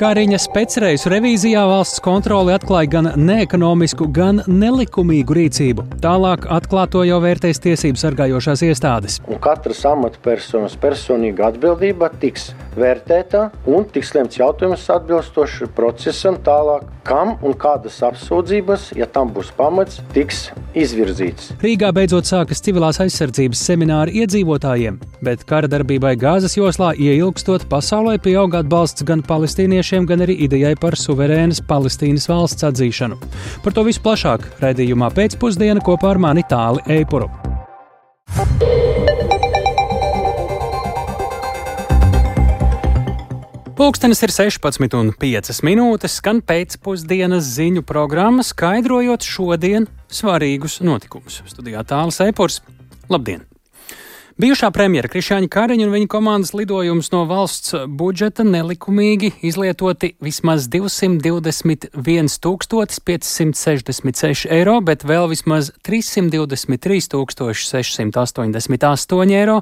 Kariņa specreisu revīzijā valsts kontrole atklāja gan neekonomisku, gan nelikumīgu rīcību. Tālāk atklāto jau vērtēs tiesību sargājošās iestādes. Un katras amatpersonas personīga atbildība tiks vērtēta un tiks lemts jautājums atbilstoši procesam tālāk, kam un kādas apsūdzības, ja tam būs pamats, tiks izvirzīts. Rīgā beidzot sākas civilās aizsardzības semināri iedzīvotājiem, bet kara darbībai Gāzes joslā ieilgstot pasaulē pieaug atbalsts gan palestīniešiem, gan arī idejai par suverēnas Palestīnas valsts atzīšanu. Par to visu plašāk raidījumā Pēcpusdiena kopā ar mani Tāli Eipuru. Pulkstenis ir 16:05, skan pēcpusdienas ziņu programma, skaidrojot šodien svarīgus notikumus. Studijā Tālis Eipurs. Labdien! Bijušā premjera Krišjāņa Kariņa un viņa komandas lidojums no valsts budžeta nelikumīgi izlietoti vismaz 221 566 eiro, bet vēl vismaz 323 688 eiro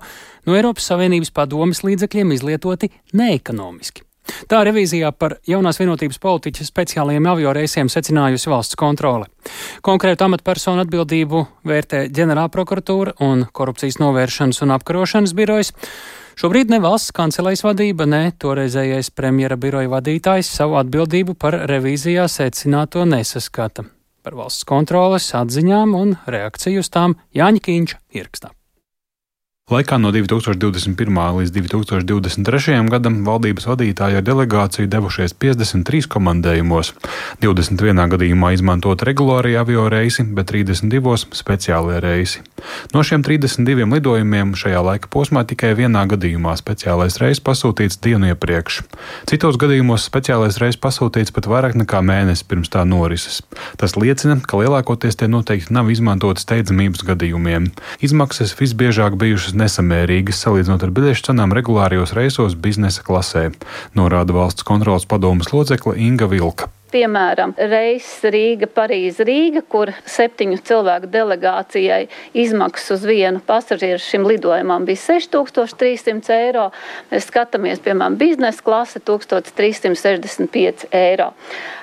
no Eiropas Savienības padomes līdzekļiem izlietoti neekonomiski. Tā revīzijā par jaunās vienotības politiķa speciālajiem avioreisiem secinājusi valsts kontrole. Konkrētu amatpersonu atbildību vērtē ģenerālprokuratūra un korupcijas novēršanas un apkarošanas birojas. Šobrīd ne valsts kancelejas vadība, ne toreizējais premjera biroja vadītājs savu atbildību par revīzijā secināto nesaskata. Par valsts kontroles atziņām un reakciju uz tām Jāņa Kīņša ierakstā. Laikā no 2021. līdz 2023. gadam valdības vadītāji ar delegāciju devušies 53 komandējumos, 21 gadījumā izmantot regulārie avio reisi, bet 32 speciālie reisi. No šiem 32 lidojumiem šajā laika posmā tikai vienā gadījumā speciālais reis pasūtīts dienu iepriekš. Citos gadījumos speciālais reis pasūtīts pat vairāk nekā mēnesi pirms tā norises. Tas liecina, ka lielākoties tie noteikti nav izmantoti steidzamības gadījumiem. Izmaksas visbiežāk bijušas nesamērīgas, salīdzinot ar biļešu cenām regulārijos reisos biznesa klasē, norāda valsts kontroles padomes locekle Inga Vilka. Piemēram, reiss Rīga-Parīze-Rīga, kur 7 cilvēku delegācijai izmaksas uz vienu pasažieru šim lidojumam bija 6300 eiro. Mēs skatāmies, piemēram, biznesa klase 1365 eiro.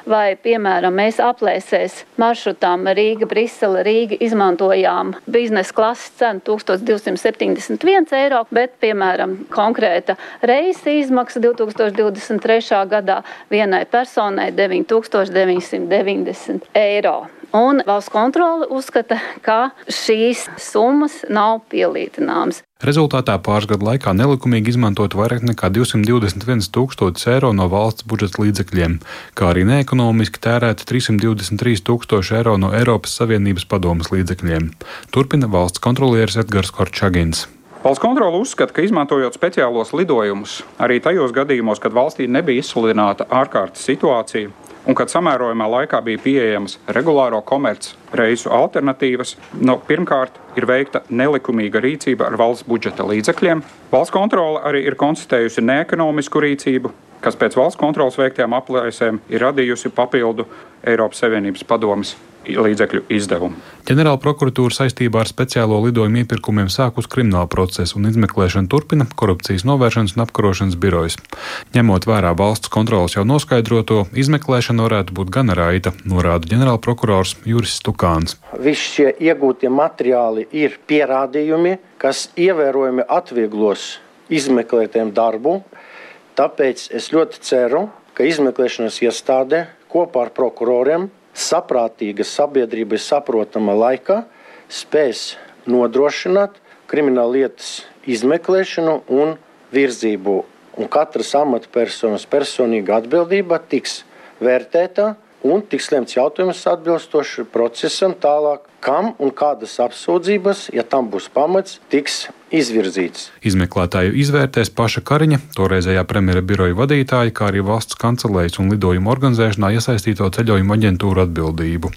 Vai, piemēram, mēs aplēsēs maršrutām Rīga-Brisele, Rīga izmantojām biznesa klases cenu 1271 eiro, bet, piemēram, konkrēta reisa izmaksa 2023. gadā vienai personai 990 eiro. Un valsts kontrole uzskata, ka šīs summas nav pielīdzināmas. Rezultātā pāris gadu laikā nelikumīgi izmantot vairāk nekā 221 000 eiro no valsts budžeta līdzekļiem, kā arī neekonomiski tērēt 323 000 eiro no Eiropas Savienības padomes līdzekļiem. Turpina valsts kontrolieris Edgars Korčagins. Valsts kontrole uzskata, ka izmantojot speciālos lidojumus, arī tajos gadījumos, kad valstī nebija izsludināta ārkārtas situācija, un kad samērojumā laikā bija pieejamas regulāro komerc reisu alternatīvas, pirmkārt ir veikta nelikumīga rīcība ar valsts budžeta līdzekļiem. Valsts kontrole arī ir konstatējusi neekonomisku rīcību, kas pēc valsts kontroles veiktajām aplēsēm ir radījusi papildu Eiropas Savienības padomes līdzekļu izdevumu. Ģenerālprokuratūra saistībā ar speciālo lidojumu iepirkumiem sākus kriminālu procesu un izmeklēšanu turpina korupcijas novēršanas un apkarošanas birojas. Ņemot vērā valsts kontroles jau noskaidroto, izmeklēšana varētu būt gana raita, norāda ģenerālprokurors Juris Stukāns. Visi šie iegūtie materiāli ir pierādījumi, kas ievērojami atvieglos izmeklētiem darbu, tāpēc es ļoti ceru, ka izmeklēšanas iestāde kopā ar prokuroriem saprātīga sabiedrībai saprotama laikā spēs nodrošināt krimināla lietas izmeklēšanu un virzību. Un katras amatpersonas personīga atbildība tiks vērtēta un tiks lemts jautājums atbilstoši procesam tālāk, kam un kādas apsūdzības, ja tam būs pamats, tiks izvirzīts. Izmeklētāju izvērtēs paša Kariņa, toreizējā premjera biroja vadītāja, kā arī valsts kancelejas un lidojumu organizēšanā iesaistīto ceļojumu aģentūru atbildību.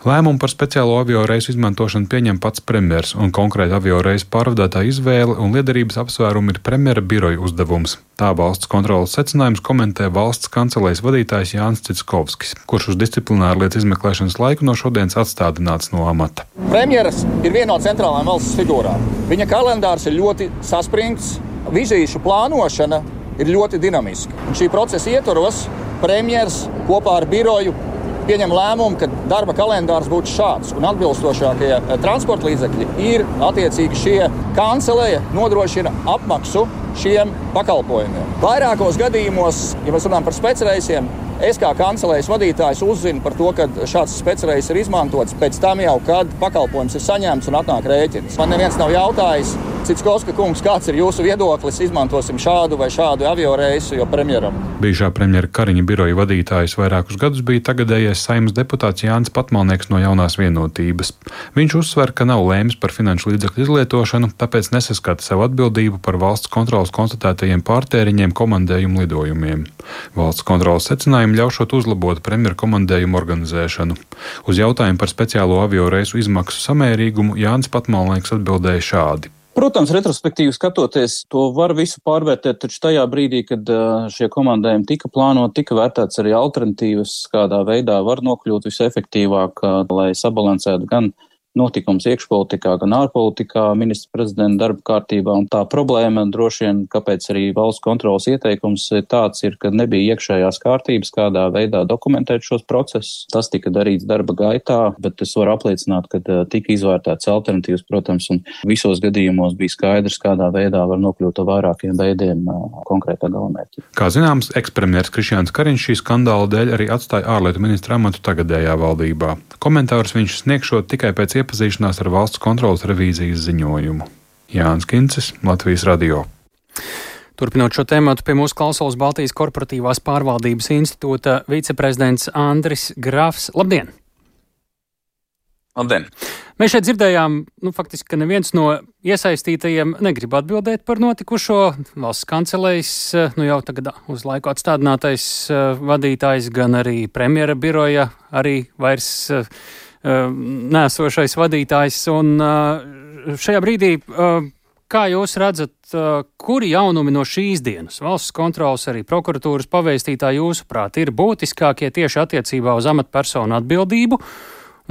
Lēmumu par speciālo avio reisu izmantošanu pieņem pats premjers, un konkrēti avio reisu pārvadātāja izvēle un liederības apsvērumi ir premjera biroja uzdevums. Tā valsts kontroles secinājums komentē valsts kancelejas vadītājs Jānis Citskovskis, kurš uz disciplināru lietu izmeklēšanas laiku no šodienas atstādināts no amata. Premjeras ir viena no centrālajām valsts figūrām. Viņa kalendārs ir ļoti saspringts, vizīšu plānošana ir ļoti dinamiska. Un šī procesa ietvaros premjers kopā ar biroju pieņem lēmumu, ka darba kalendārs būtu šāds. Un atbilstošākie transporta līdzekļi ir attiecīgi šie kancelēja nodrošina apmaksu šiem pakalpojumiem. Vairākos gadījumos, ja mēs runājam par specreisiem, es kā kancelējas vadītājs uzzinu par to, ka šāds specreis ir izmantots pēc tam jau, kad pakalpojums ir saņemts un atnāk rēķins. Man neviens nav jautājis, Citskovska kungs, kāds ir jūsu viedoklis, izmantosim šādu vai šādu avioreisu, jo premjeram. Bijušā premjera Kariņa biroja vadītājs vairākus gadus bija tagadējais Saeimas deputāts Jānis Patmalnieks no Jaunās vienotības. Viņš uzsver, ka nav lēmis par finanšu līdzekļu izlietošanu, tāpēc nesaskata savu atbildību par valsts kontrolas konstatētajiem pārtēriņiem komandējumu lidojumiem. Valsts kontrolas secinājumi ļaušot uzlabot premjera komandējumu organizēšanu. Uz jautājumu par speciālo avioreisu izmaksu samērīgumu Jānis Patmalnieks atbildēja šādi. Protams, retrospektīvi skatoties, to var visu pārvērtēt, taču tajā brīdī, kad šie komandējumi tika plānoti, tika vērtēts arī alternatīvas, kādā veidā var nokļūt visefektīvāk, lai sabalansētu gan notikums iekšpolitikā, gan ārpolitikā, ministra prezidenta darba kārtībā. Un tā problēma droši vien, kāpēc arī valsts kontrolas ieteikums tāds ir, ka nebija iekšējās kārtības, kādā veidā dokumentēt šos procesus. Tas tika darīts darba gaitā, bet es varu apliecināt, ka tika izvērtēts alternatīvas, protams, un visos gadījumos bija skaidrs, kādā veidā var nokļūt ar vairākiem veidiem konkrētā galamērķa. Kā zināms, ekspremjers Krišjāns Kariņš šī skandāla dēļ arī atstāja ārlietu ministra amatu tagadējā valdībā. Komentārus viņš sniegšot tikai pēc iepazīšanās ar valsts kontrolas revīzijas ziņojumu. Jānis Kincis, Latvijas radio. Turpinot šo tēmatu, pie mūsu klausulas Baltijas korporatīvās pārvaldības institūta viceprezidents Andris Grafs. Labdien! Labdien! Mēs šeit dzirdējām, faktiski, ka neviens no iesaistītajiem negrib atbildēt par notikušo. Valsts kancelējas, jau tagad uz laiku atstādinātais vadītājs, gan arī premjera biroja, arī vairs nēsošais vadītājs. Un šajā brīdī, kā jūs redzat, kuri jaunumi no šīs dienas valsts kontrolas arī prokuratūras pavēstītā jūsuprāt ir būtiskākie tieši attiecībā uz amatpersonu atbildību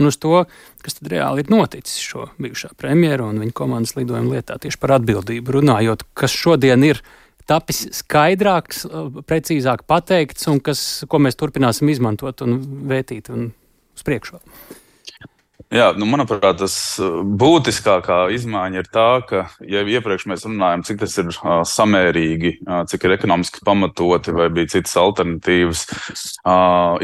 un uz to, kas tad reāli ir noticis šo bijušā premjera un viņa komandas lidojuma lietā tieši par atbildību runājot, kas šodien ir tapis skaidrāks, precīzāk pateikts un ko mēs turpināsim izmantot un vētīt un uz priekšu. Jā, manuprāt, tas būtiskākā izmaiņa ir tā, ka, ja iepriekš mēs runājam, cik tas ir samērīgi, cik ir ekonomiski pamatoti vai bija citas alternatīvas,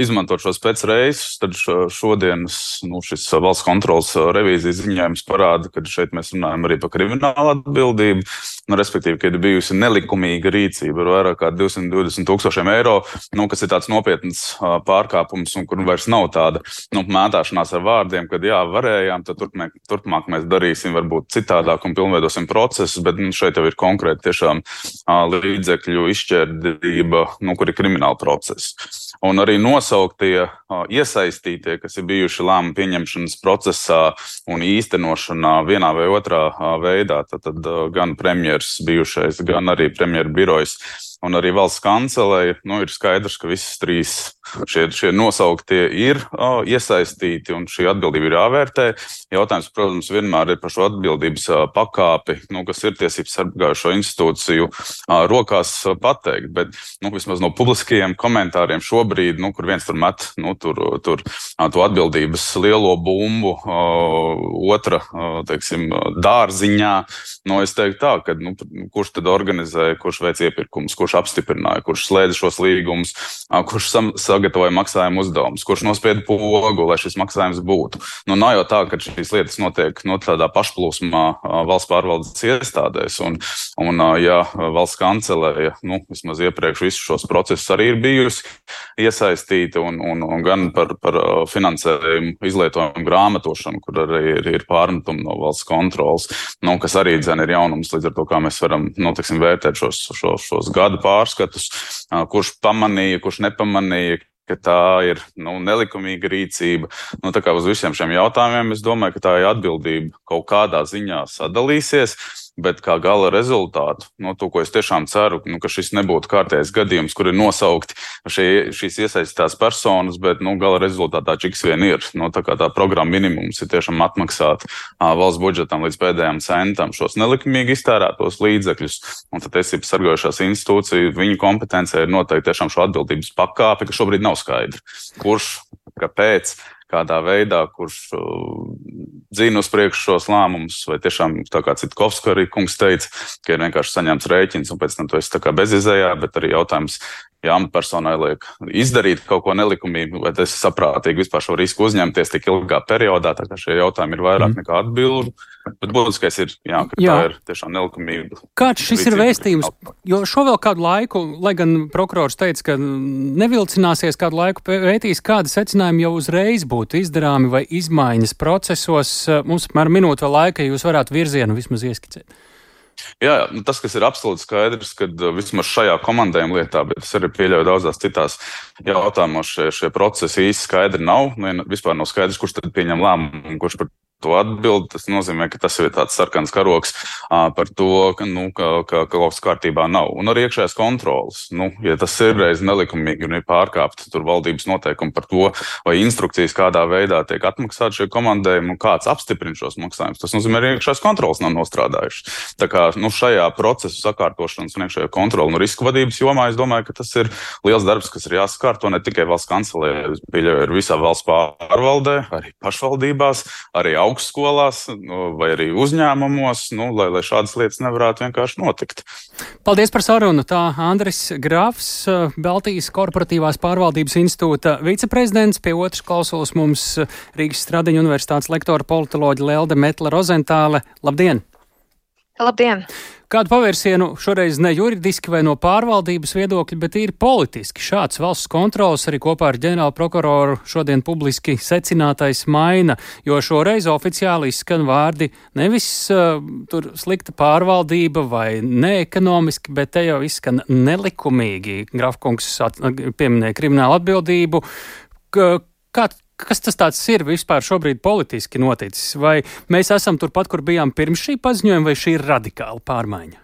izmantot šos pēcreisus, tad šodienas šis valsts kontrolas revīzijas ziņojums parāda, ka šeit mēs runājam arī par kriminālu atbildību, respektīvi, ka ir bijusi nelikumīga rīcība ar vairāk kā 220,000 eiro, kas ir tāds nopietns pārkāpums un kur vairs nav tāda mētāšanās ar vārdiem, kad varējām, tad turpmāk mēs darīsim varbūt citādāk un pilnveidosim procesus, bet šeit jau ir konkrēti tiešām līdzekļu izšķērdība, kur ir krimināla process. Un arī nosauktie iesaistītie, kas ir bijuši lēmumu pieņemšanas procesā un īstenošanā vienā vai otrā veidā, tad gan premjers bijušais, gan arī premjera birojs un arī valsts kancelēja, ir skaidrs, ka visas trīs šie nosauktie ir iesaistīti un šī atbildība ir jāvērtē. Jautājums, protams, vienmēr ir par šo atbildības pakāpi, kas ir tiesības sargājošo institūciju rokās pateikt, bet vismaz no publiskajiem komentāriem šobrīd, kur viens tur met tur to atbildības lielo bumbu, otra, dārziņā, es teiktu tā, ka kurš tad organizēja, kurš veic iepirkumus, kurš apstiprināja, kurš slēdza šos līgumus, kurš sagatavoja maksājumu uzdevumus, kurš nospieda pogu, lai šis maksājums būtu. Nav jau tā, ka šīs lietas notiek tādā pašplūsmā valsts pārvaldes iestādēs, un valsts kancelēja, vismaz iepriekš visus šos procesus arī ir bijusi iesaistīta, un gan par finansējumu izlietojumu grāmatošanu, kur arī ir pārmetumi no valsts kontrolas, kas arī ir jaunums, līdz ar to, kā mēs varam, vērtēt šos gadu pārskatus, kurš pamanīja, kurš nepamanīja, ka tā ir nelikumīga rīcība. Tā kā uz visiem šiem jautājumiem es domāju, ka tā atbildība kaut kādā ziņā sadalīsies, bet kā gala rezultātu, to, ko es tiešām ceru, ka šis nebūtu kārtējs gadījums, kur ir nosaukti šīs iesaistītās personas, bet, gala rezultātā čiks vien ir. Tā kā tā programma minimums ir tiešām atmaksāt valsts budžetam līdz pēdējām centam šos nelikumīgi iztērētos līdzekļus, un tad tiesības sargājošās institūciju, viņu kompetencija ir noteikti tiešām šo atbildības pakāpi, ka šobrīd nav skaidri. Kurš, kāpēc, kādā veidā, kurš dzina uz priekšu šos lēmumus, vai tiešām, tā kā Citkovska arī kungs teica, ka ir vienkārši saņemts rēķins, un pēc tam tu esi tā kā bezizējā, bet arī jautājums, ja amatpersonai liek izdarīt kaut ko nelikumīgu, vai tas ir saprātīgi vispār šo risku uzņemties tik ilgā periodā, tā kā šie jautājumi ir vairāk nekā atbildu, bet būtiskais ir, ka tā ir tiešām nelikumīga. Kāds šis ir vēstījums? Jo šo vēl kādu laiku, lai gan prokurors teica, ka nevilcināsies kādu laiku pētīs, kādi secinājumi jau uzreiz būtu izdarāmi vai izmaiņas procesos. Mums apmēram minūte vēl laika, ja jūs varētu virzienu vismaz ieskicēt. Jā, tas, kas ir absolūti skaidrs, kad vismaz šajā komandējuma lietā, bet es arī pieļauju daudzās citās jautājumos, šie procesi īsti skaidri nav. Vispār nav skaidrs, kurš tad pieņem lēmumu, kurš par to atbild. Tas nozīmē, ka tas ir tāds sarkans karoks par to, ka kaut kas kārtībā nav. Un arī iekšējās kontrolas. Ja tas ir reiz nelikumīgi un ir pārkāpta tur valdības noteikumi par to, vai instrukcijas kādā veidā tiek atmaksāti šie komandējumi un kāds apstiprina šos maksājumus, tas nozīmē, arī iekšējās kontrolas nav nostrādājušas. Tā kā šajā procesu sakārtošanas un iekšējā kontrola un risku vadības jomā, es domāju, ka tas ir liels darbs, kas ir jāsakārto ne tikai valsts kancelē, ir visā valsts pārvaldē, arī pašvaldībās, arī augstskolās vai arī uzņēmumos, lai šādas lietas nevarētu vienkārši notikt. Paldies par sarunu. Tā Andris Grafs, Baltijas korporatīvās pārvaldības institūta viceprezidents, pie otras klausulas mums Rīgas Stradiņu universitātes lektora politoloģa Lelde Metle-Rozentāle. Labdien! Labdien! Kādu pavērsienu šoreiz ne juridiski vai no pārvaldības viedokļa, bet ir politiski. Šāds valsts kontrols arī kopā ar ģenerālu prokuroru šodien publiski secinātais maina, jo šoreiz oficiāli izskan vārdi nevis tur slikta pārvaldība vai neekonomiski, bet te jau izskan nelikumīgi. Grafkungs pieminēja kriminālu atbildību. Kas tas tāds ir vispār šobrīd politiski noticis? Vai mēs esam turpat, kur bijām pirms šī paziņojuma, vai šī ir radikāla pārmaiņa?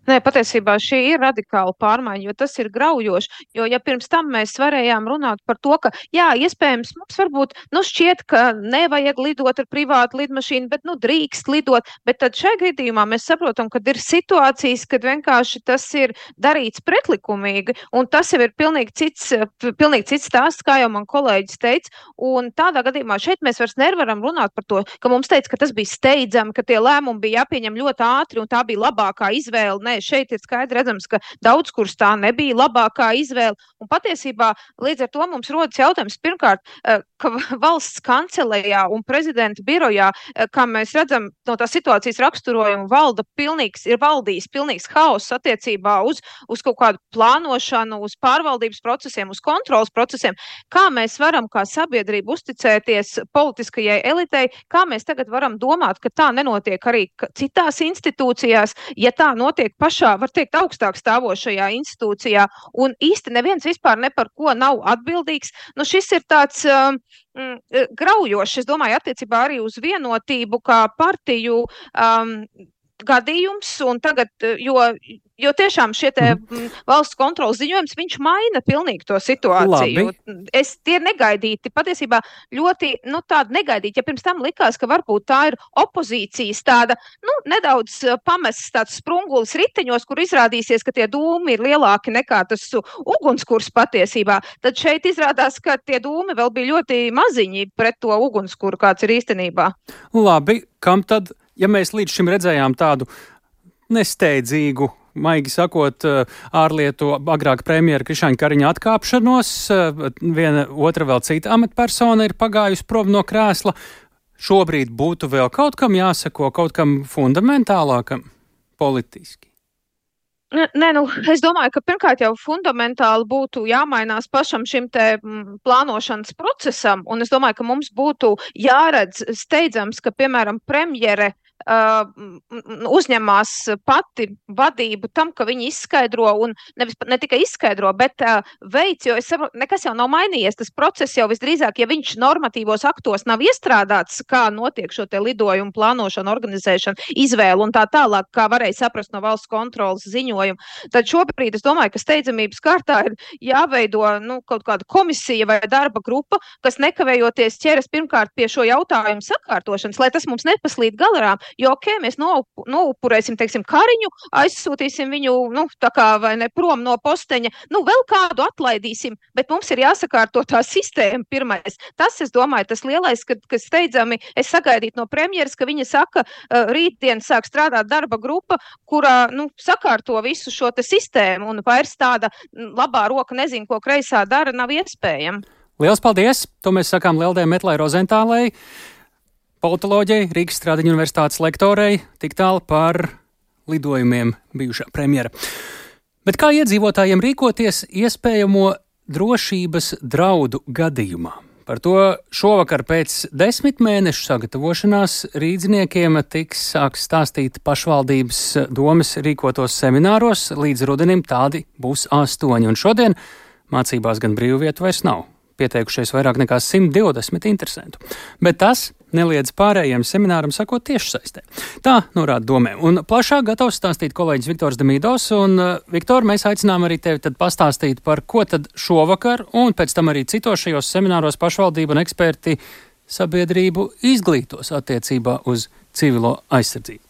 Nē, patiesībā šī ir radikāla pārmaiņa, jo tas ir graujoši, jo ja pirms tam mēs varējām runāt par to, ka jā, iespējams, mums varbūt, šķiet, ka nevajag lidot ar privātu lidmašīnu, bet, drīkst lidot, bet tad šajā gadījumā mēs saprotam, ka ir situācijas, kad vienkārši tas ir darīts pretlikumīgi, un tas jau ir pilnīgi cits stāsts, kā jau man kolēģis teica, un tādā gadījumā šeit mēs vairs nevaram runāt par to, ka mums teica, ka tas bija steidzami, ka tie lēmumi bija jāpieņem ļoti ātri, un tā bija labākā izvēle. Nē, šeit ir skaidri redzams, ka daudz kur tā nebija labākā izvēle. Un patiesībā līdz ar to mums rodas jautājums pirmkārt, ka valsts kancelējā un prezidenta birojā, kā mēs redzam no tās situācijas raksturojuma, ir valdījis pilnīgs haoss attiecībā uz kaut kādu plānošanu, uz pārvaldības procesiem, uz kontrolas procesiem. Kā mēs varam kā sabiedrība uzticēties politiskajai elitei, kā mēs tagad varam domāt, ka tā nenotiek arī citās institūcijās, ja tā notiek pašā, var teikt, augstāk stāvošajā institūcijā, un īsti neviens vispār ne par ko nav atbildīgs. Šis ir tāds graujošs, es domāju, attiecībā arī uz vienotību kā partiju gadījums, un tagad, jo tiešām šie te valsts kontrolas ziņojums, viņš maina pilnīgi to situāciju. Tie ir negaidīti, patiesībā ļoti, tādi negaidīti, ja pirms tam likās, ka varbūt tā ir opozīcijas tāda, nedaudz pamests tāds sprungulis riteņos, kur izrādīsies, ka tie dūmi ir lielāki nekā tas ugunskurs patiesībā. Tad šeit izrādās, ka tie dūmi vēl bija ļoti maziņi pret to ugunskuru, kāds ir īstenībā. Labi, kam tad? Ja mēs līdz šim redzējām tādu nesteidzīgu, maigi sakot, ārlietu agrāk premjera Krišjāņa Kariņa atkāpšanos, viena otra vēl cita amatpersona ir pagājusi prom no krēsla, šobrīd būtu vēl kaut kam jāsako, kaut kam fundamentālākam politiski? Nē, es domāju, ka pirmkārt jau fundamentāli būtu jāmainās pašam šim te plānošanas procesam, un es domāju, ka mums būtu jāredz steidzams, ka, piemēram, premjere uzņemās pati vadību tam, ka viņi izskaidro un ne tikai izskaidro, bet veids, jo es saprotu, nekas jau nav mainījies. Tas process jau visdrīzāk, ja viņš normatīvos aktos nav iestrādāts, kā notiek šo te lidojumu plānošanu, organizēšanu, izvēlu un tā tālāk, kā varēja saprast no valsts kontrolas ziņojuma, tad šobrīd es domāju, ka steidzamības kārtā ir jāveido kaut kāda komisija vai darba grupa, kas nekavējoties ķeras pirmkārt pie šo jautājumu sakārtošanas, lai tas mums nepaslīd galā. Jo, mēs noupurēsim, teiksim, Kariņu, aizsūtīsim viņu, tā kā vai ne prom no posteņa, vēl kādu atlaidīsim, bet mums ir jāsakārto tā sistēma pirmais. Tas, es domāju, tas lielais, kad steidzami es sagaidītu no premjeras, ka viņa saka, rītdien sāk strādāt darba grupa, kurā, sakārto visu šo te sistēmu un vairs tāda labā roka nezinu, ko kreisā dara, nav iespējama. Liels paldies! To mēs sakām Leldē Metlai Rozentālei, politoloģei, Rīgas Stradiņu universitātes lektorei, tik tālu par lidojumiem bijušā premjera. Bet kā iedzīvotājiem rīkoties iespējamo drošības draudu gadījumā? Par to šovakar pēc 10 mēnešu sagatavošanās rīdziniekiem sāks stāstīt pašvaldības domes rīkotos semināros. Līdz rudenim tādi būs 8, un šodien mācībās gan brīvvietu vairs nav. Pieteikušies vairāk nekā 120 interesantu. Bet tas neliedz pārējiem semināram sakot tiešsaistē. Tā norāda domē. Un plašāk gatavs stāstīt kolēģis Viktors Demīdovs. Un, Viktor, mēs aicinām arī tevi tad pastāstīt, par ko tad šovakar un pēc tam arī citos šajos semināros pašvaldība un eksperti sabiedrību izglītos attiecībā uz civilo aizsardzību.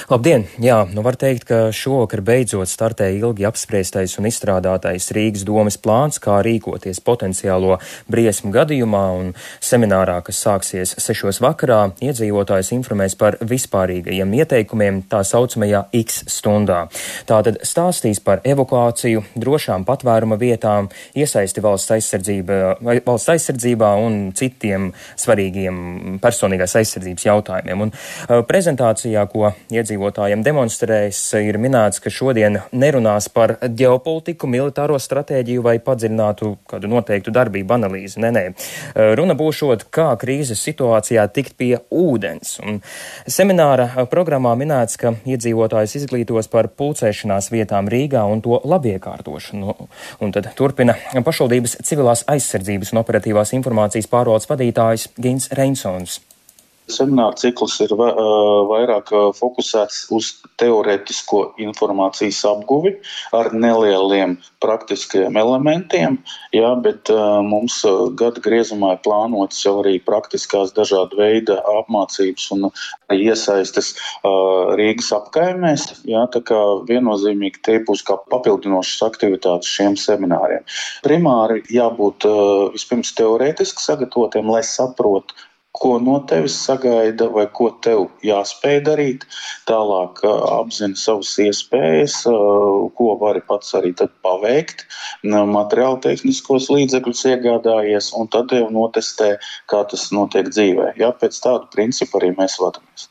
Labdien! Jā, var teikt, ka šovakar beidzot startē ilgi apspriestais un izstrādātais Rīgas domes plāns, kā rīkoties potenciālo briesmu gadījumā, un seminārā, kas sāksies 6 vakarā, iedzīvotājs informēs par vispārīgajiem ieteikumiem tā saucamajā X stundā. Tātad stāstīs par evakuāciju, drošām patvēruma vietām, iesaisti valsts aizsardzībā un citiem svarīgiem personīgās aizsardzības jautājumiem. Un prezentācijā, ko iedzīvotājiem demonstrēs, ir minēts, ka šodien nerunās par ģeopolitiku, militāro stratēģiju vai padziļinātu kādu noteiktu darbību analīzi. Nē. Runa būšot, kā krīzes situācijā tikt pie ūdens. Un semināra programmā minēts, ka iedzīvotājs izglītos par pulcēšanās vietām Rīgā un to labiekārtošanu. Un tad turpina pašvaldības civilās aizsardzības un operatīvās informācijas pārvaldes vadītājs Gins Reinsons. Semināra cikls ir vairāk fokusēts uz teorētisko informācijas apguvi ar nelieliem praktiskajiem elementiem, bet mums gada griezumā ir plānotas jau arī praktiskās dažāda veida apmācības un iesaistes Rīgas apkaimēs, tā kā viennozīmīgi tie būs kā papildinošas aktivitātes šiem semināriem. Primāri jābūt vispirms teorētiski sagatavotiem, lai saprotu, ko no tevis sagaida vai ko tev jāspēj darīt. Tālāk apzini savas iespējas, ko vari pats arī tad paveikt, materiāli tehniskos līdzekļus iegādājies un tad jau notestē, kā tas notiek dzīvē. Pēc tādu principu arī mēs vadamies.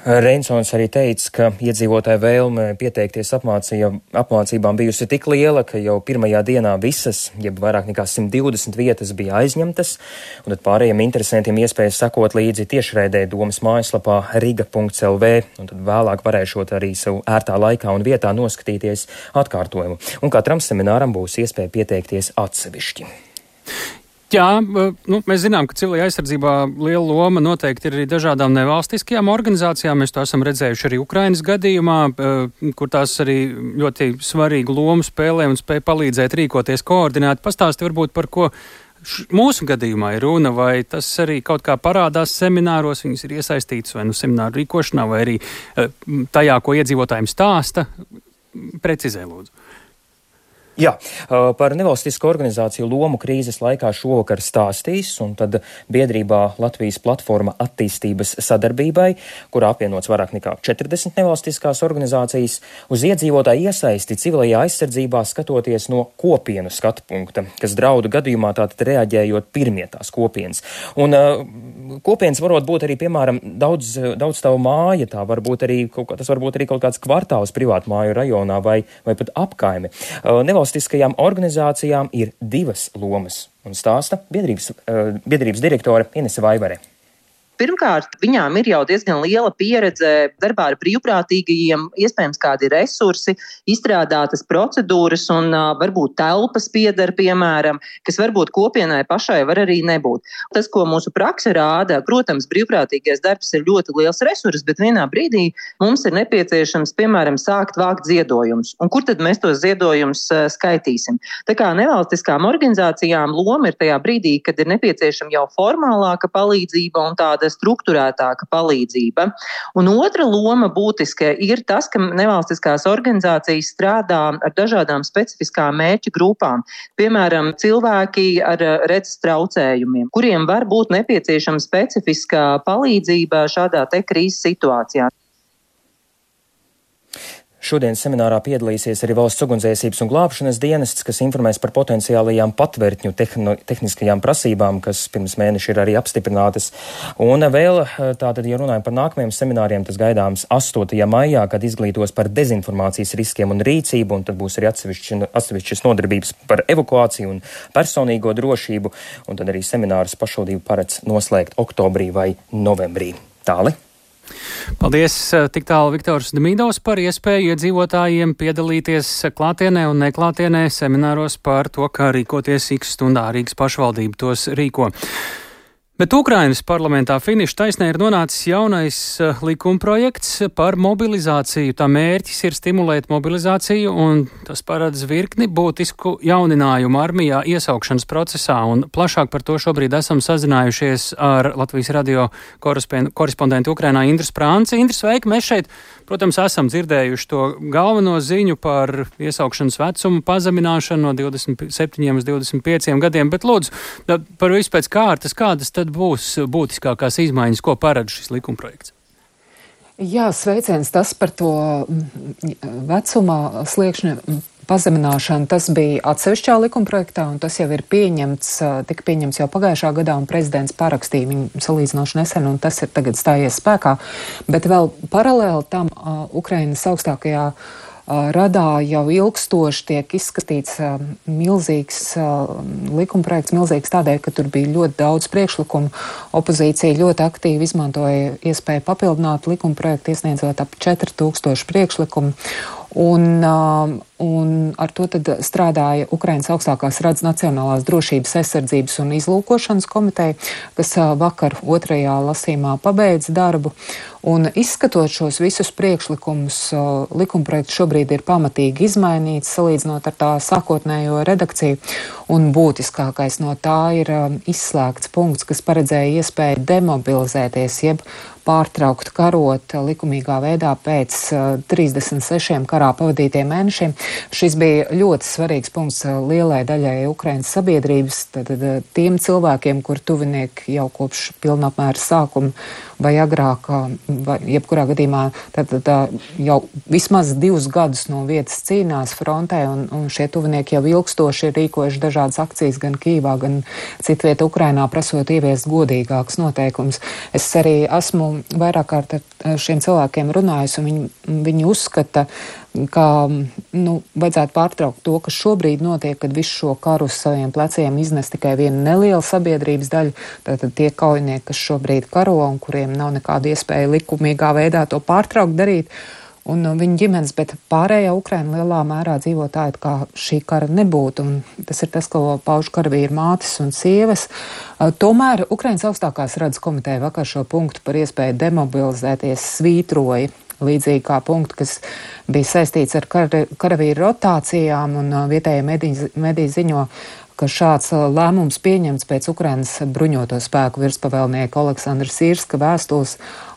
Reinsons arī teica, ka iedzīvotāja vēlme pieteikties apmācībām bijusi tik liela, ka jau pirmajā dienā visas, jeb vairāk nekā 120 vietas bija aizņemtas, un tad pārējiem interesantiem iespējas sekot līdzi tiešraidē domas mājaslapā riga.lv, un tad vēlāk varēšot arī savu ērtā laikā un vietā noskatīties atkārtojumu. Un katram semināram būs iespēja pieteikties atsevišķi. Jā, mēs zinām, ka civilajā aizsardzībā liela loma noteikti ir arī dažādām nevalstiskajām organizācijām. Mēs to esam redzējuši arī Ukrainas gadījumā, kur tās arī ļoti svarīgu lomu spēlē un spēj palīdzēt rīkoties koordinēti. Pastāsti varbūt par ko mūsu gadījumā ir runa, vai tas arī kaut kā parādās semināros, viņas ir iesaistītas vai semināru rīkošanā, vai arī tajā, ko iedzīvotājiem stāsta. Precizē, lūdzu. Jā, par nevalstisko organizāciju lomu krīzes laikā šovakar stāstīs, un tad biedrībā Latvijas platforma attīstības sadarbībai, kurā apvienots vairāk nekā 40 nevalstiskās organizācijas, uz iedzīvotāju iesaisti civilajā aizsardzībā skatoties no kopienu skatu punkta, kas draudu gadījumā tātad reaģējot pirmie tās kopienas. Un kopienas varot būt arī, piemēram, daudz tavu māja, tas var būt arī kaut kāds kvartāls privātu māju rajonā vai pat apkaime. Nevalstiskajām organizācijām ir 2 lomas, un stāsta biedrības direktore Inese Vaivare. Pirmkārt, viņām ir jau diezgan liela pieredze darbā ar brīvprātīgajiem, iespējams kādi resursi, izstrādātas procedūras un varbūt telpas pieder, piemēram, kas varbūt kopienai pašai var arī nebūt. Tas, ko mūsu prakse rāda, protams, brīvprātīgais darbs ir ļoti liels resurs, bet vienā brīdī mums ir nepieciešams, piemēram, sākt vākt ziedojumus. Un kur tad mēs tos ziedojumus skaitīsim? Tā kā nevalstiskām organizācijām loma ir tajā brīdī, kad ir nepieciešama jau formālāka palīdzība un tāda strukturētāka palīdzība. Un otra loma būtiska ir tas, ka nevalstiskās organizācijas strādā ar dažādām specifiskām mērķu grupām. Piemēram, cilvēki ar redzes traucējumiem, kuriem var būt nepieciešama specifiskā palīdzība šādā te krīzes situācijā. Šodien seminārā piedalīsies arī Valsts ugunsdzēsības un glābšanas dienests, kas informēs par potenciālajām patvērtņu tehniskajām prasībām, kas pirms mēneša ir arī apstiprinātas. Un vēl tātad, ja runājam par nākamajiem semināriem, tas gaidāms 8. maijā, kad izglītos par dezinformācijas riskiem un rīcību, un tad būs arī atsevišķas nodarbības par evakuāciju un personīgo drošību, un tad arī seminārus pašvaldību paredz noslēgt oktobrī vai novembrī. Tāli. Paldies tik tālu Viktors Demidovs par iespēju iedzīvotājiem piedalīties klātienē un neklātienē semināros par to, kā rīkoties X stundā. Rīgas pašvaldība tos rīko. Bet Ukrainas parlamentā finiša taisnē ir nonācis jaunais likumprojekts par mobilizāciju. Tā mērķis ir stimulēt mobilizāciju, un tas paredz virkni būtisku jauninājumu armijā iesaukšanas procesā. Un plašāk par to šobrīd esam sazinājušies ar Latvijas radio korespondentu Ukrainā Indru Sprānci. Indra, sveiki! Mēs šeit, protams, esam dzirdējuši to galveno ziņu par iesaukšanas vecumu pazemināšanu no 27 uz 25 gadiem, bet lūdzu, par visu pēc kārtas, kādas tad būs būtiskākās izmaiņas, ko paredz šis likumprojekts? Jā, sveiciens tas par to vecuma sliekšņa pazemināšanu. Tas bija atsevišķā likumprojektā, un tas jau ir tika pieņemts jau pagājušā gadā, un prezidents parakstīja viņu salīdzinoši nesen, un tas ir tagad stājies spēkā. Bet vēl paralēli tam Ukrainas augstākajā radā jau ilgstoši tiek izskatīts milzīgs likumprojekts, milzīgs tādēļ, ka tur bija ļoti daudz priekšlikumu. Opozīcija ļoti aktīvi izmantoja iespēju papildināt likumprojektu, iesniedzot ap 4000 priekšlikumu. Un ar to tad strādāja Ukrainas augstākās radas Nacionālās drošības aizsardzības un izlūkošanas komiteja, kas vakar 2. lasījumā pabeidza darbu. Un izskatot šos visus priekšlikumus, likumprojekts šobrīd ir pamatīgi izmainīts, salīdzinot ar tā sākotnējo redakciju. Un būtiskākais no tā ir izslēgts punkts, kas paredzēja iespēju demobilizēties, jeb pārtraukt karot likumīgā veidā pēc 36 karā pavadītiem mēnešiem. Šis bija ļoti svarīgs punkts lielai daļai Ukrainas sabiedrības, tad tiem cilvēkiem, kur tuvinieki jau kopš pilnapmēra sākuma vai agrāk, vai jebkurā gadījumā tad jau vismaz 2 gadus no vietas cīnās frontē, un šie tuvinieki jau ilgstoši ir rīkojuši dažādas akcijas gan Kīvā, gan citvieta Ukrainā, prasot ieviest godīgākus noteikumus. Es arī esmu vairāk kārt ar šiem cilvēkiem runājis, un viņi uzskata, ka vajadzētu pārtraukt to, kas šobrīd notiek, kad visu šo karu uz saviem pleciem iznes tikai viena neliela sabiedrības daļa, tātad tie kaujinieki, kas šobrīd karo un kuriem nav nekāda iespēja likumīgā veidā to pārtraukt darīt, un viņa ģimenes, bet pārējā Ukraina lielā mērā dzīvotāji, kā šī kara nebūtu, un tas ir tas, ko pauž karavīri mātes un sievas. Tomēr Ukrainas augstākās radas komiteja vakar šo punktu par iespēju demobilizēties svītroja, līdzīgi kā punktu, kas bija saistīts ar karavīru rotācijām, un vietējie mediji ziņo, ka šāds lēmums pieņemts pēc Ukrainas bruņoto spēku virspavēlnieka Oleksandra Sīrska vēstules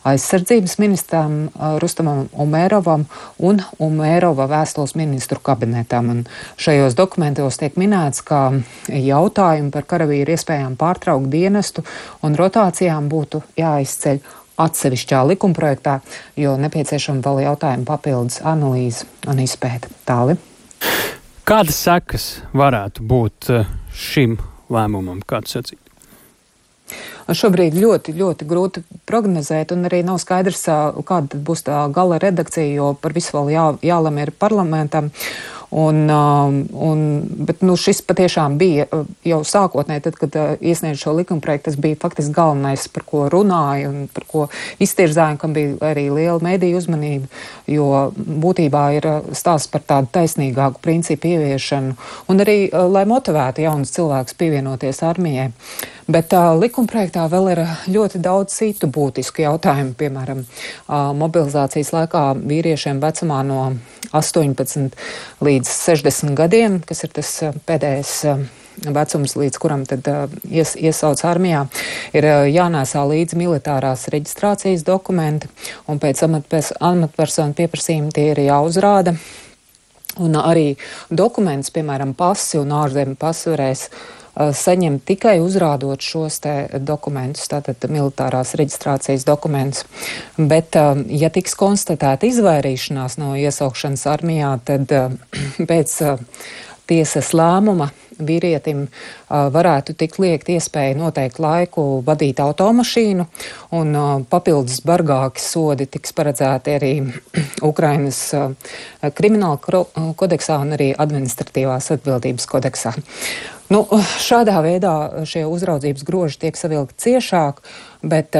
aizsardzības ministram Rustamam Umerovam un Umerova vēstules ministru kabinetam. Un šajos dokumentos tiek minēts, ka jautājumi par karavīru iespējām pārtraukt dienestu un rotācijām būtu jāizceļ atsevišķā likumprojektā, jo nepieciešama vēl jautājuma papildus analīze un izpēta. Tāli. Kādas sekas varētu būt šim lēmumam, kāds sacīt? Šobrīd ļoti, ļoti grūti prognozēt, un arī nav skaidrs, kāda būs tā gala redakcija, jo par visu vēl jālemj ir parlamentam. Bet šis patiešām bija jau sākotnēji, tad, kad iesniedz šo likumprojektu, tas bija faktiski galvenais, par ko runāja un par ko iztirzāja, kam bija arī liela mediju uzmanība, jo būtībā ir stāsts par tādu taisnīgāku principu ieviešanu un arī, lai motivētu jaunus cilvēkus pievienoties armijai. Bet likumprojektā vēl ir ļoti daudz citu būtisku jautājumu, piemēram, mobilizācijas laikā vīriešiem vecumā no 18 līdz 60 gadiem, kas ir tas pēdējais vecums, līdz kuram tad iesauc armijā, ir jānēsā līdzi militārās reģistrācijas dokumenti, un pēc amatpersonu pieprasījuma tie ir jāuzrāda. Un arī dokuments, piemēram, pasi un ārzemju pasi varēs saņemt tikai uzrādot šos te dokumentus, tātad militārās reģistrācijas dokumentus. Bet, ja tiks konstatēta izvairīšanās no iesaukšanas armijā, tad pēc tiesas lēmuma vīrietim varētu tikt liekt iespēja noteikt laiku vadīt automašīnu, un papildus bargāki sodi tiks paredzēti arī Ukrainas krimināla kodeksā un arī administratīvās atbildības kodeksā. Šādā veidā šie uzraudzības groži tiek savilkti ciešāk, bet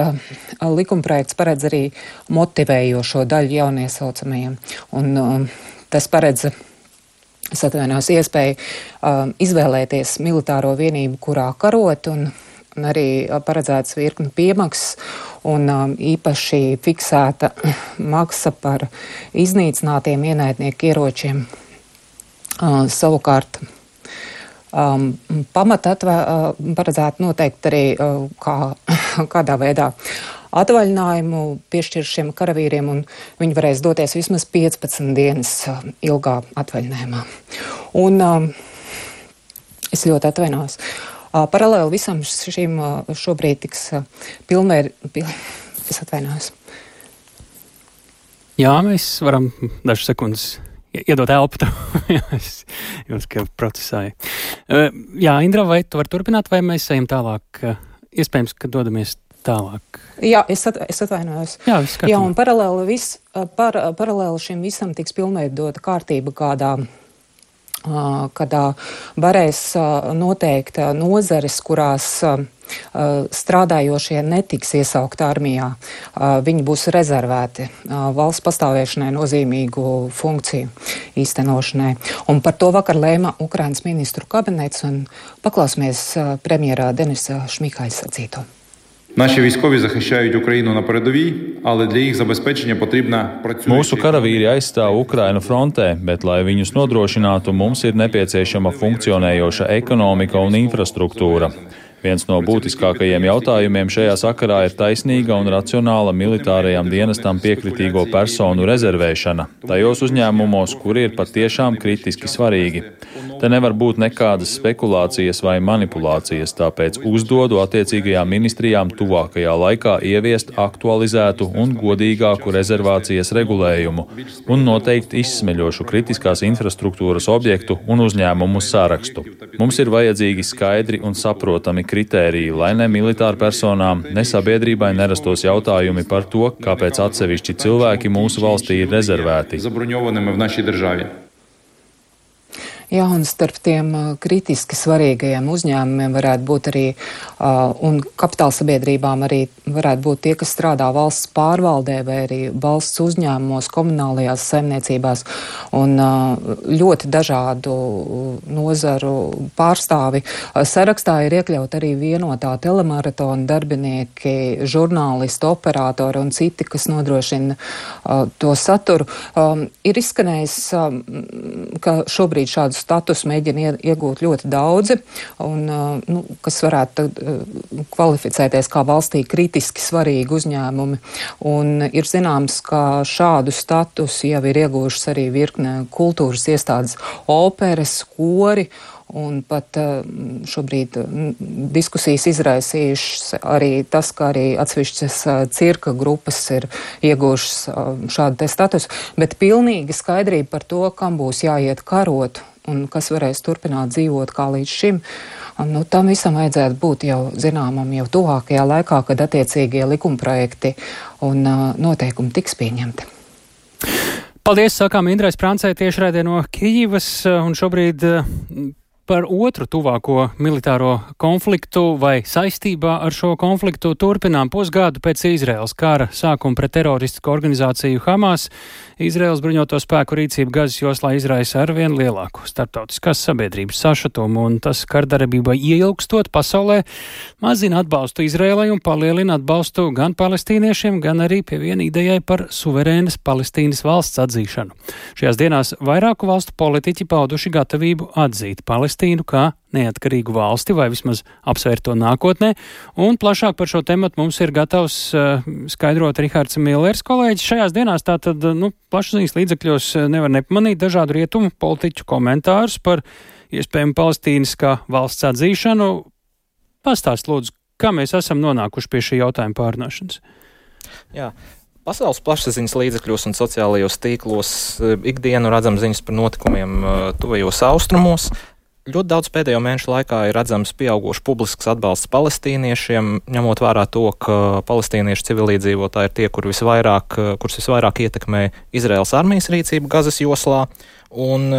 likumprojekts paredz arī motivējošo daļu jauniesaucamajiem. Un tas paredz iespēju izvēlēties militāro vienību, kurā karot, un arī paredzēts virkni piemaksas un īpaši fiksēta maksa par iznīcinātiem ienaidnieku ieročiem. Savukārt paredzētu noteikti arī kādā veidā atvaļinājumu piešķir šiem karavīriem, un viņi varēs doties vismaz 15 dienas ilgā atvaļinājumā. Un es ļoti atvainojos. Paralēli visam šīm šobrīd tiks es atvainojos. Jā, mēs varam dažas sekundes iedot elpu, es jums, ka procesāju. Jā, Indra, vai tu vari turpināt, vai mēs ejam tālāk? Iespējams, ka dodamies tālāk. Jā, es atvainojos. Jā, un paralēli šim visam tiks pilnveidota kārtība, kādā varēs noteikt nozares, kurās strādājošie netiks iesaukt armijā. Viņi būs rezervēti valsts pastāvēšanai nozīmīgu funkciju īstenošanai. Un par to vakar lēma Ukrainas ministru kabinets, un paklausīsimies premjerā Denisa Šmihāļa sacīto. Наші військові захищають Україну на передовій, але для їх забезпечення потрібна працююча. Mūsu karavīri aizstāv Ukrainu frontē, bet, lai viņus nodrošinātu, mums ir nepieciešama funkcionējoša ekonomika un infrastruktūra. Viens no būtiskākajiem jautājumiem šajā sakarā ir taisnīga un racionāla militārajam dienestam piekritīgo personu rezervēšana tajos uzņēmumos, kuri ir patiešām kritiski svarīgi. Te nevar būt nekādas spekulācijas vai manipulācijas, tāpēc uzdodu attiecīgajām ministrijām tuvākajā laikā ieviest aktualizētu un godīgāku rezervācijas regulējumu un noteikti izsmeļošu kritiskās infrastruktūras objektu un uzņēmumu sārakstu. Mums ir vajadzīgi skaidri un saprotami kritēriji, lai ne militāru personām, ne sabiedrībai nerastos jautājumi par to, kāpēc atsevišķi cilvēki mūsu valstī ir rezervēti. Jā, un starp tiem kritiski svarīgajiem uzņēmumiem varētu būt arī, un kapitāla sabiedrībām arī varētu būt tie, kas strādā valsts pārvaldē vai arī valsts uzņēmumos, komunālajās saimniecībās, un ļoti dažādu nozaru pārstāvi. Sarakstā ir iekļaut arī vienotā telemaratona darbinieki, žurnālisti, operatori un citi, kas nodrošina to saturu. Ir izskanējis, ka šobrīd šādu statusu mēģina iegūt ļoti daudzi, un, kas varētu kvalificēties kā valstī kritiski svarīgi uzņēmumi. Un ir zināms, ka šādu statusu jau ir iegūšas arī virkne kultūras iestādes, operas, kori, un pat šobrīd diskusijas izraisījušas arī tas, ka arī atsevišķas cirka grupas ir iegūšas šādu te statusu, bet pilnīgi skaidrība par to, kam būs jāiet karot un kas varēs turpināt dzīvot kā līdz šim. Tam visam vajadzētu būt jau zināmam jau tuvākajā laikā, kad attiecīgie likumprojekti un noteikumi tiks pieņemti. Paldies, sakām Indrai Sprancei tiešraidē no Kijivas, un šobrīd par otru tuvāko militāro konfliktu vai saistībā ar šo konfliktu turpinām pusgadu pēc Izraēlas kara sākuma pret teroristisko organizāciju Hamas. Izraēlas bruņoto spēku rīcība Gazas joslā izraisa arvien lielāku starptautiskās sabiedrības sašutumu, un tas kardarbībai ieilgstot pasaulē mazina atbalstu Izraēlai un palielina atbalstu gan palestīniešiem, gan arī pieviena idejai par suverēnas Palestīnas valsts atzīšanu. Šajās dienās vairāku valstu politiķi pauduši gatavību atzīt Palestīnu kā neatkarīgu valsti vai vismaz apsvērt to nākotnē, un plašāk par šo tematu mums ir gatavs skaidrot Rihards Millers kolēģis. Šajās dienās tātad, plašsaziņas līdzekļos nevar nepamanīt dažādu rietumu politiķu komentārus par iespējamu Palestīnas kā valsts atzīšanu. Pastāst lūdzu, kā mēs esam nonākuši pie šī jautājuma pārunāšanas? Jā. Pasaules plašsaziņas līdzekļos un sociālajos tīklos ikdienu redzam ziņas par notikumiem tuvajos austrumos. Ļoti daudz pēdējo mēnešu laikā ir redzams pieauguši publisks atbalsts palestīniešiem, ņemot vērā to, ka palestīniešu civiliedzīvotāji ir tie, kurus visvairāk ietekmē Izraēlas armijas rīcība Gazas joslā. Un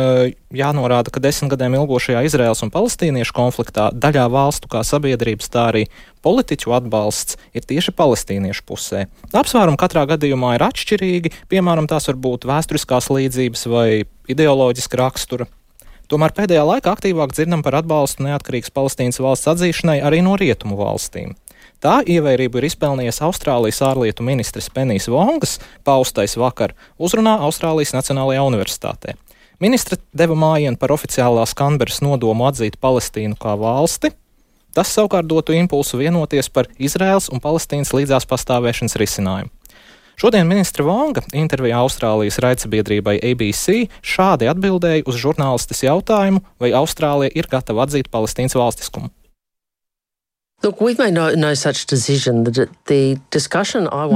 jānorāda, ka 10 gadiem ilgošajā Izraēlas un palestīniešu konfliktā daļā valstu kā sabiedrības, tā arī politiķu atbalsts ir tieši palestīniešu pusē. Apsvērumi katrā gadījumā ir atšķirīgi, piemēram, tās var būt vēsturiskās līdzības vai ideoloģiska rakstura. Tomēr pēdējā laikā aktīvāk dzirdam par atbalstu neatkarīgas Palestīnas valsts atzīšanai arī no rietumu valstīm. Tā ievērību ir izpelnījies Austrālijas ārlietu ministres Penijas Vongas paustais vakar uzrunā Austrālijas Nacionālajā universitātē. Ministre deva mājienu par oficiālās Kanberas nodomu atzīt Palestīnu kā valsti. Tas savukārt dotu impulsu vienoties par Izraēlas un Palestīnas līdzās pastāvēšanas risinājumu. Šodien ministre Vonga intervijā Austrālijas raidsabiedrībai ABC šādi atbildēja uz žurnālistes jautājumu, vai Austrālija ir gatava atzīt Palestīnas valstiskumu.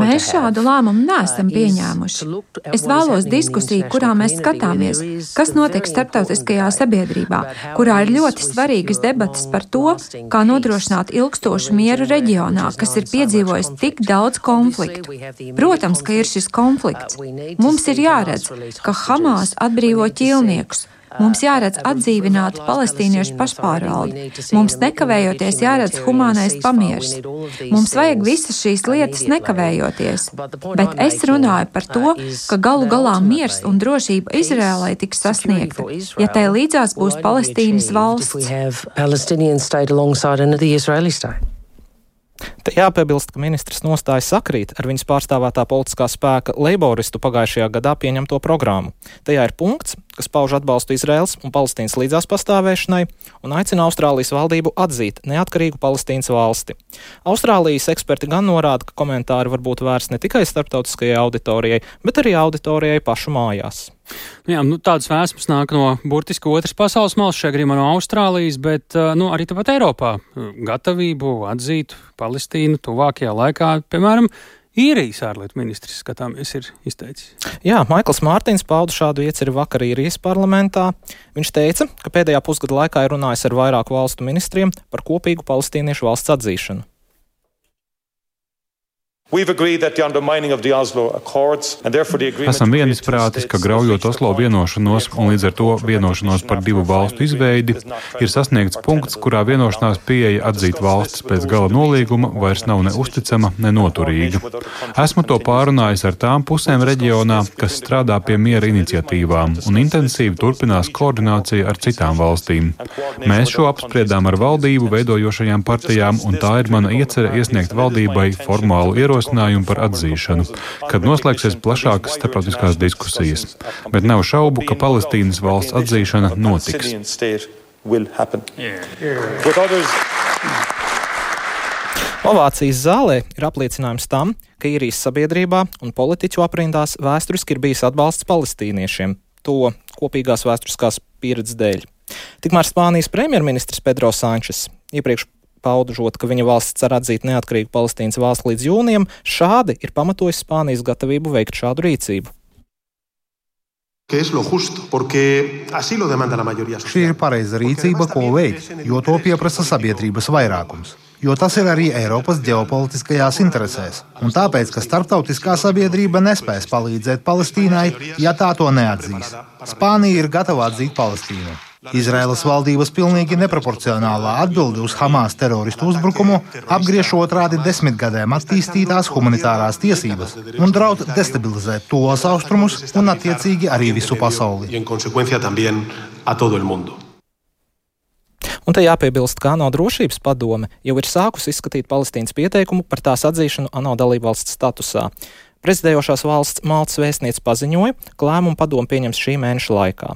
Mēs šādu lēmumu neesam pieņēmuši. Es vēlos diskusiju, kurā mēs skatāmies, kas notiek starptautiskajā sabiedrībā, kurā ir ļoti svarīgas debatas par to, kā nodrošināt ilgstošu mieru reģionā, kas ir piedzīvojis tik daudz konfliktu. Protams, ka ir šis konflikts. Mums ir jāredz, ka Hamas atbrīvo ķīlniekus. Mums jāredz atdzīvināta palestīniešu pašpārvalde. Mums nekavējoties jāredz humānais pamieris. Mums vajag visas šīs lietas nekavējoties. Bet es runāju par to, ka galu galā miers un drošība Izraēlai tiks sasniegta, ja tai līdzās būs Palestīnas valsts. Te jāpiebilst, ka ministrs nostāja sakrīt ar viņas pārstāvētā politiskā spēka leiboristu pagājušajā gadā pieņemto programmu. Tajā ir punkts, kas pauž atbalstu Izraēlas un Palestīnas līdzās pastāvēšanai un aicina Austrālijas valdību atzīt neatkarīgu Palestīnas valsti. Austrālijas eksperti gan norāda, ka komentāri var būt vērsti ne tikai starptautiskajai auditorijai, bet arī auditorijai pašu mājās. Jā, tādas vēsmas nāk no burtiski otras pasaules malas, šajā gadījumā no Austrālijas, bet arī tāpat Eiropā gatavību atzīt Palestīnu tuvākajā laikā, piemēram, Īrijas ārlietu ministrs, skatāmies, ir izteicis. Jā, Maikls Mārtiņš pauda šādu ieceri vakar Īrijas parlamentā. Viņš teica, ka pēdējā pusgada laikā ir runājis ar vairāku valstu ministriem par kopīgu palestīniešu valsts atzīšanu. Esam vienisprātis, ka graujot Oslo vienošanos un līdz ar to vienošanos par divu valstu izveidi, ir sasniegts punkts, kurā vienošanās pieeja atzīt valstis pēc gala nolīguma vairs nav ne uzticama, ne noturīga. Esmu to pārunājis ar tām pusēm reģionā, kas strādā pie miera iniciatīvām, un intensīvi turpinās koordinācija ar citām valstīm. Mēs šo apspriedām ar valdību veidojošajām partijām, un tā ir mana iecerē iesniegt valdībai formālu ierosinājumu par atzīšanu, kad noslēgsies plašākas starptautiskās diskusijas. Bet nav šaubu, ka Palestīnas valsts atzīšana notiks. Ovācijas zālē ir apliecinājums tam, ka Īrijas sabiedrībā un politiķu aprindās vēsturiski ir bijis atbalsts palestīniešiem, to kopīgās vēsturiskās pieredzes dēļ. Tikmēr Spānijas premjerministrs Pedro Sančes iepriekš paudužot, ka viņa valsts cer atzīt neatkarīgu Palestīnas valsti līdz jūnijam, šādi ir pamatojis Spānijas gatavību veikt šādu rīcību. Šī ir pareiza rīcība, ko veikt, jo to pieprasa sabiedrības vairākums. jo tas ir arī Eiropas ģeopolitiskajās interesēs. Un tāpēc, ka starptautiskā sabiedrība nespēs palīdzēt Palestīnai, ja tā to neatzīs. Spānija ir gatava atzīt Palestīnu. Izraēlas valdības pilnīgi neproporcionālā atbilde uz Hamas teroristu uzbrukumu apgriež otrādi 10 gadiem attīstītās humanitārās tiesības un draud destabilizēt tos austrumus un attiecīgi arī visu pasauli. Un te jāpiebilst, ka ANO drošības padome jau ir sākusi izskatīt Palestīnas pieteikumu par tās atzīšanu ANO dalībvalsts statusā. Prezidējošās valsts Maltas vēstniece paziņoja, ka lēmumu padome pieņems šī mēneša laikā.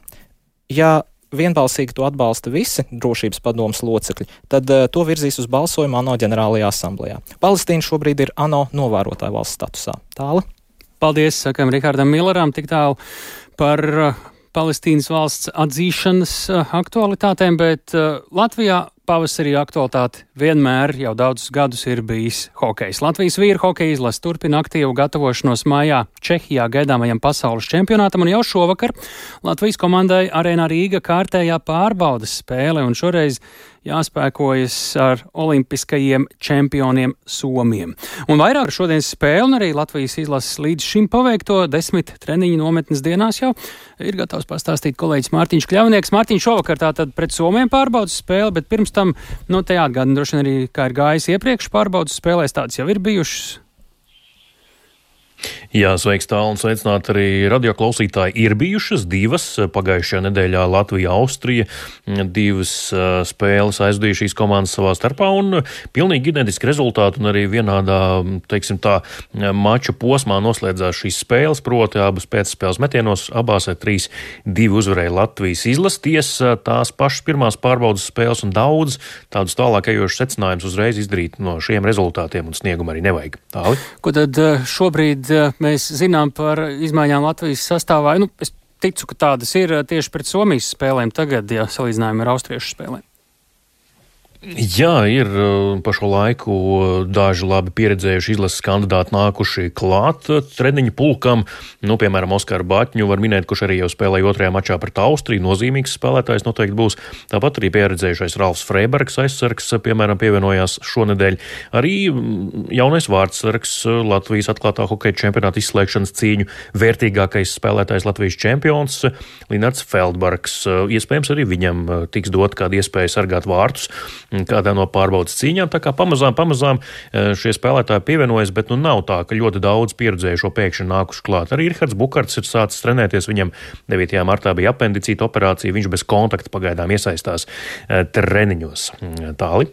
Ja vienbalsīgi to atbalsta visi drošības padomes locekļi, tad to virzīs uz balsojumu ANO ģenerālajā asamblējā. Palestīna šobrīd ir ANO novērotāja valsts statusā. Tāli? Paldies, sakam Rihardam Milleram, tik tālu par Palestīnas valsts atzīšanas aktualitātēm, bet Latvijā pavasarī aktualitāte vienmēr jau daudzus gadus ir bijis hokejs. Latvijas vīru hokeja izlase turpina aktīvu gatavošanos mājā Čehijā gaidāmajam pasaules čempionātam, un jau šovakar Latvijas komandai Arēnā Rīga kārtējā pārbaudas spēle, un šoreiz jāspēkojas ar olimpiskajiem čempioniem Somiem. Un vairāk šodienas spēle, un arī Latvijas izlases līdz šim paveikto 10 treniņu nometnes dienās jau ir gatavs pastāstīt kolēģis Mārtiņš Kļavnieks. Mārtiņš, šovakar tātad pret Somiem pārbaudas spēle, bet pirms tam, te jāatgādina droši vien arī, kā ir gājis iepriekš pārbaudas spēlēs, tādas jau ir bijušas. Jā, sveiks tālu un sveicināt arī radioklausītāji. Ir bijušas divas pagājušajā nedēļā Latvija-Austrija, divas spēles aizvadīja šīs komandas savā starpā un pilnīgi identiski rezultāti un arī vienādā, teiksim tā, mača posmā noslēdzās šīs spēles, proti abas pēcspēles metienos, abās ar 3-2 uzvarēja Latvijas izlasties, tās pašas pirmās pārbaudas spēles un daudz tādus tālākajošus secinājumus uzreiz izdarīt no šiem rezultātiem un sniegumu arī nevajag. Tāli? Ko tad šobrīd mēs zinām par izmaiņām Latvijas sastāvā? Es ticu, ka tādas ir tieši pret Somijas spēlēm tagad, ja salīdzinājumi ar austriešu spēlēm. Jā, ir pa šo laiku daži labi pieredzējuši izlases kandidāti nākuši klāt treniņu pulkam. Piemēram, Oskaru Baķņu var minēt, kurš arī jau spēlēja otrajā mačā pret Austriju. Nozīmīgs spēlētājs noteikti būs. Tāpat arī pieredzējušais Ralfs Freibergs aizsargs, piemēram, pievienojās šonedēļ. Arī jaunais vārdsargs Latvijas atklātā hokeja čempionāta izslēgšanas cīņu vērtīgākais spēlētājs Latvijas čempions Linards Feldbergs. Iespējams, arī viņam tiks dot kāda iespēja sargāt vārtus kādā no pārbaudas cīņām, tā kā pamazām šie spēlētāji pievienojas, bet nav tā, ka ļoti daudz pieredzējušo pēkšņi nākuši klāt. Arī Rihards Bukarts ir sācis trenēties, viņam 9. martā bija apendicīta operācija, viņš bez kontakta pagaidām iesaistās treniņos. Tāli?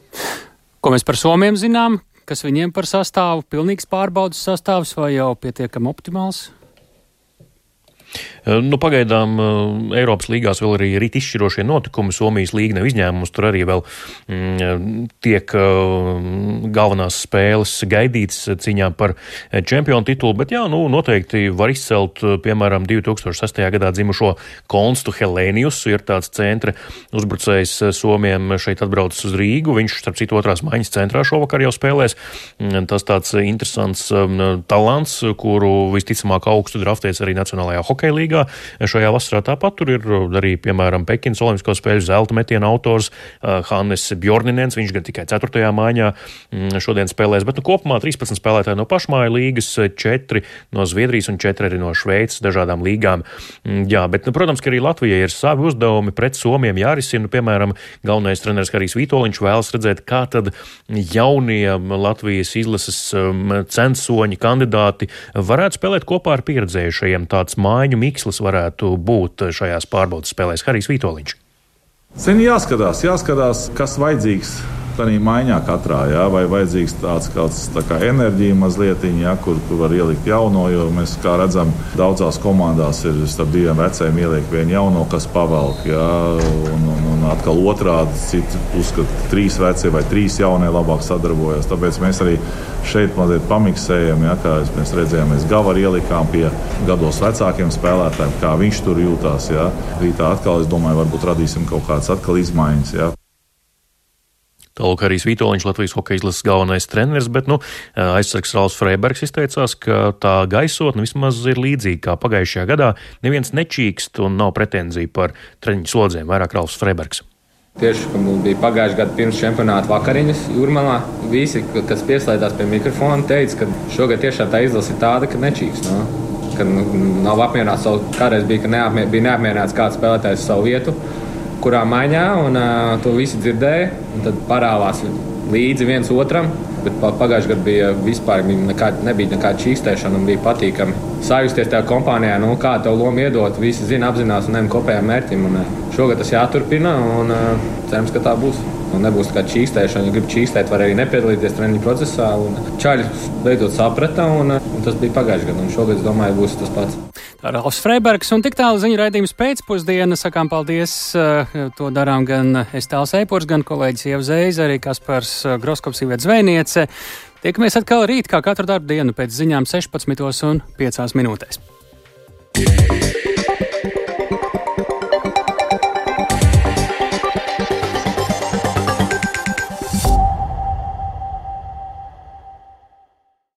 Ko mēs par Somiem zinām? Kas viņiem par sastāvu? Pilnīgs pārbaudas sastāvs vai jau pietiekami optimāls? Pagaidām Eiropas līgās vēl arī rit izšķirošie notikumi. Somijas līga nav izņēmums, tur arī vēl tiek galvenās spēles gaidītas cīņā par čempionu titulu, bet noteikti var izcelt, piemēram, 2006. gadā dzimušo Konstu Helēniusu, ir tāds centra uzbrucējs Somiem šeit atbraucis uz Rīgu, viņš starp citu otrās maiņas centrā šovakar jau spēlēs. Tas tāds interesants talants, kuru visticamāk augstu draftēs arī Nacionālajā hokeja līgā. Šajā vasarā tāpat tur ir arī, piemēram, Pekinas olimpisko spēļu zelta metiena autors Hannes Bjorninens, viņš gan tikai 4. maiņā šodien spēlēs, bet kopumā 13 spēlētāji no pašmāju līgas, 4 no Zviedrijas un 4 arī no Šveices dažādām līgām. Jā, bet, protams, ka arī Latvijai ir savi uzdevumi pret Somiem jārisina. Piemēram, galvenais treneris Harijs Vitoļņš vēlas redzēt, kā tad jaunie Latvijas izlases censoņi kandidāti varētu spēlēt kopā ar pieredzējušajiem. Tāds mājiņu mikslis varētu būt šajās pārbaudas spēlēs. Harijs Vitoļņš. Jāskatās, kas vajadzīgs tādā maiņā katrā, vai vajadzīgs tāds tā kā enerģija mazliet, kur var ielikt jauno, jo mēs, kā redzam, daudzās komandās ir starp diviem vecajiem ieliek vienu jauno, kas pavelk, un atkal otrādi, citi uzskata 3 vecie vai 3 jaunie labāk sadarbojas. Tāpēc mēs arī šeit mazliet pamiksējam, kā mēs redzējām, mēs Gavaru ielikām pie gados vecākiem spēlētājiem, kā viņš tur jūtās. Rītā atkal, es domāju, varbūt radīsim kaut kādas atkal izmaiņas. Tālāk Harijs Vitoļņš, Latvijas hokeja izlases galvenais treneris, bet aizsargs Ralfs Freibergs izteicās, ka tā gaisotne vismaz ir līdzīga kā pagājušajā gadā. Neviens nečīkst un nav pretenzija par treniņu slodzēm, vairāk Ralfs Freibergs. Tieši, ka mums bija pagājušajā gadā pirms čempionāta vakariņas Jūrmalā. Visi, kas pieslēdzās pie mikrofona, teica, ka šogad tiešām tā izlase ir tāda, ka nečīks. No? Ka nav apmierināts kādreiz bija, ka bija neapmierināts kāds spēlētājs savu vietu, kurā maiņā, un to visi dzirdēja, un tad parāvās līdzi viens otram. Bet pagājušajā gadā bija vispār nebija nekāda čīkstēšana un bija patīkami sajusties tajā kompānijā, kā tev lomu iedot, visi zina, apzinās un ejam kopējām mērķim. Un šogad tas jāturpina un cerams, ka tā būs. Un nebūs kāda čīkstēšana, ja grib čīkstēt, var arī nepiedalīties treniņu procesā. Čaļi beidzot saprata un tas bija pagājušajā gadā un šogad, es domāju, būs tas pats. Tā ir Ralfs Freibergs un tik tālu ziņu raidījums pēcpusdiena. Sakām paldies, to darām gan Estāls Eipurs, gan kolēģis Ieva Zeize, arī Kaspars Groskops, Iveta Zvejniece. Tiekamies atkal rīt, kā katru darbu dienu pēc ziņām 16:05.